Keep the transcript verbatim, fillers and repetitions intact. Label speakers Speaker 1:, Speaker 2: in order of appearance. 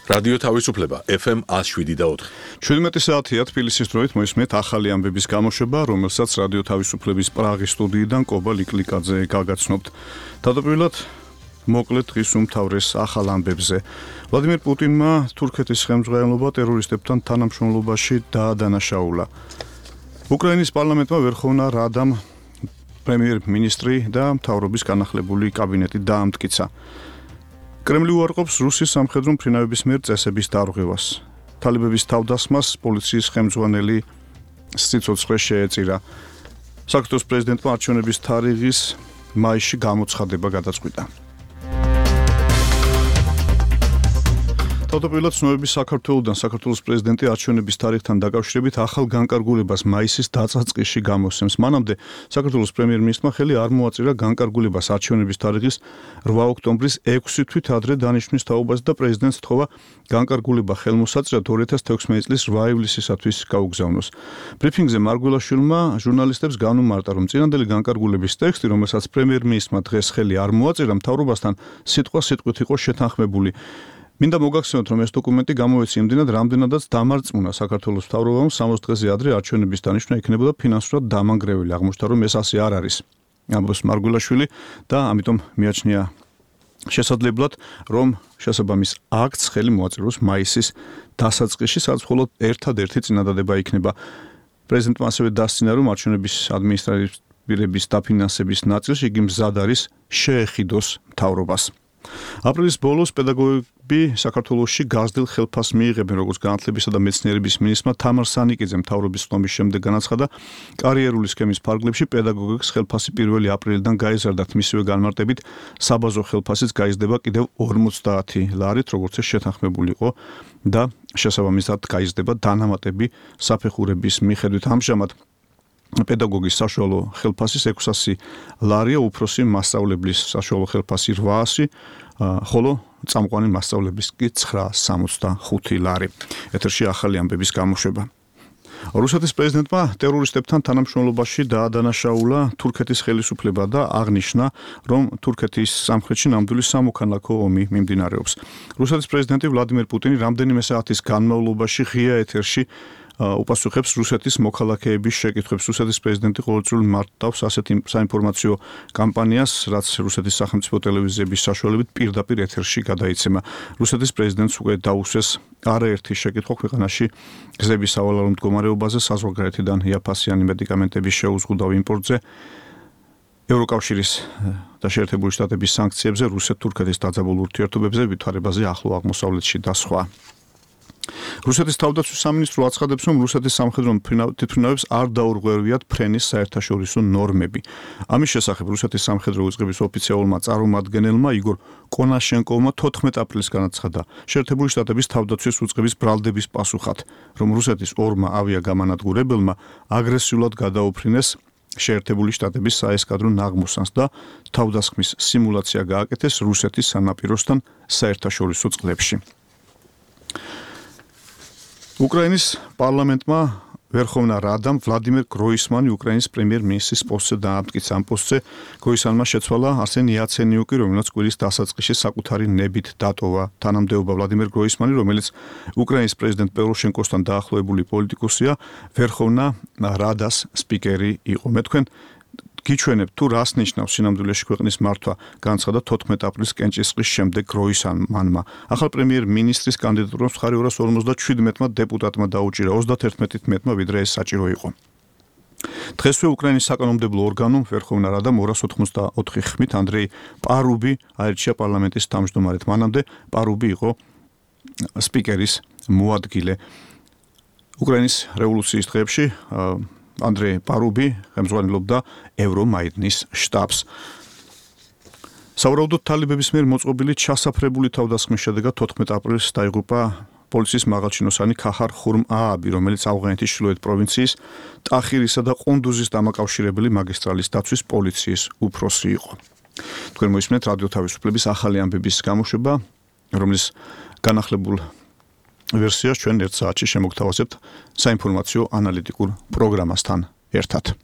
Speaker 1: რადიო თავისუფლება ეფ ემ one oh seven და four.
Speaker 2: ჩვიდმეტი საათია თბილისის დროით მოისმენთ ახალი ამბების გამოშვება, რომელსაც რადიო თავისუფლების პრაღის სტუდიიდან კობა ლიკლიკაძე გაგაცნობთ. თავდაპირველად მოკლედ დღის უმთავრეს ახალ ამბებზე. ვლადიმერ პუტინმა თურქეთის ხელმძღვანელობა ტერორისტებთან თანამშრომლობაში დაადანაშაულა. უკრაინის პარლამენტმა ვერხოვნა რადამ პრემიერ-მინისტრი და მთავრობის განახლებული კაბინეტი დაამტკიცა. კრემლი უარყოფს რუსის სამხედრო მფრინავების მიერ წესების დარღვევას. თალიბების თავდასხმას პოლიციის ხელმძღვანელი სიცოცხლე შეეწირა. საქართველოს პრეზიდენტმა არჩევნების თარიღის მაისში გამოცხადება გადაწყვიტა. თავდაპირველად ცნობების საქართველოსთან საქართველოს პრეზიდენტი არჩევნების თარიღთან დაკავშირებით ახალ განკარგულებას მაისის დასაწყისში გამოსცემს. მანამდე საქართველოს პრემიერ-მინისტრმა ხელი არ მოაწირა განკარგულებას არჩევნების თარიღის რვა ოქტომბრის ექვსი თვით ადრე დანიშვნის თაობაზე და პრეზიდენტს თხოვა განკარგულება ხელმოსაწირად ორი ათას თექვსმეტი წლის რვა ივლისისათვის გაუგზავნოს. ბრიფინგზე მარგველაშვილმა ჟურნალისტებს განუმარტა, რომ წინანდელი განკარგულების ტექსტი, რომელსაც პრემიერ-მინისტრმა დღეს ხელი არ მოაწირა, მთავრობასთან სიტყვა-სიტყვით იყო შეთანხმებული. მინდა მოგახსენოთ, რომ ეს დოკუმენტი გამოეცა იმდენად, რამდენადაც დამარწმუნა საქართველოს მთავრობამ სამოცი დღეზე ადრე არჩევნების დანიშვნა იქნებოდა ფინანსურად დამანგრეველი. აღმოჩნდა, რომ ეს ასე არ არის. ამბობს მარგველაშვილი და ამიტომ მიაჩნია შესაძლებლად, რომ შესაბამის აქტს ხელი მოაწიროს მაისის დასაწყისში, სადაც მხოლოდ ერთადერთი წინადადება იქნება. პრეზიდენტმა ასევე დასცინა, რომ არჩევნების ადმინისტრირების დაფინანსების ნაწილში იგი მზად არის შეეხიდოს მთავრობას. აპრილის ბოლოს პედაგოგები საქართველოში გაზრდილ ხელფასს მიიღებენ, როგორც განათლებისა და მეცნიერების მინისტრმა თამარ სანიკიძემ მთავრობის ხდომის შემდეგ განაცხადა, კარიერული სქემის ფარგლებში პედაგოგებს ხელფასი პირველი აპრილიდან გაიზარდათ. მისივე განმარტებით საბაზო ხელფასიც გაიზრდება კიდევ ორმოცდაათი ლარით, როგორც ეს შეთანხმებული იყო და შესაბამისად გაიზრდება დანამატები საფეხურების მიხედვით. ამჟამად პედაგოგის საშუალო ხელფასის ექვსასი ლარია, უფროსი მასწავლებლის საშუალო ხელფასი რვაასი, ხოლო წამყვანი მასწავლებლის კი ცხრაასი სამოცდახუთი ლარი. ეთერში ახალი ამბების გამოშვება. რუსეთის პრეზიდენტმა ტერორისტებთან თანამშრომლობაში დაადანაშაულა თურქეთის ხელისუფლება და აღნიშნა, რომ თურქეთის სამხრეთში ნამდვილი სამოქალაქო ომი მიმდინარეობს. რუსეთის პრეზიდენტი ვლადიმერ პუტინი რამდენიმე საათის განმავლობაში ღია ეთერში უპასუხებს რუსეთის მოქალაქეების შეკითხვებს. რუსეთის პრეზიდენტი ყოველწლიურად მართავს ასეთ საინფორმაციო კამპანიას, რაც რუსეთის სახელმწიფო ტელევიზიების საშუალებით პირდაპირ ეთერში გადაიცემა. რუსეთის პრეზიდენტს უკვე დაუსვეს არაერთი შეკითხვა ქვეყანაში გზების სავალალო მდგომარეობაზე, საზღვარგარეთიდან იაფასიანი მედიკამენტების შეუზღუდავ იმპორტზე, ევროკავშირის და შეერთებული შტატების სანქციებზე, რუსეთ-თურქეთის დაძაბულ ურთიერთობებზე, ვითარებაზე ახლო აღმოსავლეთში და სხვა. რუსეთის თავდაცვის სამინისტრო აცხადებს, რომ რუსეთის სამხედრო თვითმფრინავებს არ დაურღვევიათ ფრენის საერთაშორისო ნორმები. ამის შესახებ რუსეთის სამხედრო უწყების ოფიციალურმა წარმომადგენელმა იგორ კონაშენკოვმა თოთხმეტი აპრილის განაცხადა შეერთებული შტატების თავდაცვის უწყების ბრალდების პასუხად, რომ რუსეთის ორმა ავიაგამანადგურებელმა აგრესიულად გადაუფრინეს შეერთებული შტატების საესკადრო ნაღმოსანს და თავდასხმის სიმულაცია გააკეთეს რუსეთის სანაპიროსთან საერთაშორისო წყლებში. უკრაინის პარლამენტმა ვერხოვნა რადამ ვლადიმერ გროისმანი უკრაინის პრემიერ-მინისტრის პოსტზე დაამტკიცა. ამ პოსტზე გროისმანმა შეცვალა არსენ იაცენიუკი, რომელიც კვირის დასაწყისში საკუთარი ნებით დატოვა. თანამდებობა ვლადიმერ გროისმანი, რომელიც უკრაინის პრეზიდენტ პოროშენკოსთან დაახლოებული პოლიტიკოსია, ვერხოვნა რადას სპიკერი იყო. მე თქვენ გიჩვენებ თუ რას ნიშნავს სინამდვილეში ქვეყნის მართვა, განაცხადა თოთხმეტი აპრილის კენჭისყრის შემდეგ გროისმანმა. ახალ პრემიერ-მინისტრის კანდიდატურას მხარი ორას ორმოცდაჩვიდმეტმა დეპუტატმა დაუჭირა, ოცდაათერთმეტი თმეტმა ვიდრე ეს საჭირო იყო. დღესვე უკრაინის საკანონმდებლო ორგანომ ვერხოვნა რადამ ორას ოთხმოცდაოთხი ხმით ანდრეი პარუბი აირჩია პარლამენტის თავმჯდომარედ. მანამდე პარუბი იყო სპიკერის მოადგილე. უკრაინის რევოლუციის დღეებში ანდრეი პარუბი ხელმძღვანელობდა ევრომაიდნის შტაბს. სავარაუდოდ თალიბების მიერ მოწყობილი ჩასაფრებული თავდასხმის შედეგად თოთხმეტი აპრილს დაიღუპა პოლიციის მაღალჩინოსანი ქაჰარ ხურმ-ააბი, რომელიც ავღანეთის ჩრდილოეთ პროვინციის ტახირისა და ყუნდუზის დამაკავშირებელი მაგისტრალის დაცვის პოლიციის უფროსი იყო. თქვენ მოისმენთ რადიო თავისუფლების ახალი ამბების გამოშვება, რომლის განახლებულ ვერსიას ჩვენ ერთ საათში შემოგთავაზებთ საინფორმაციო ანალიტიკურ პროგრამასთან ერთად.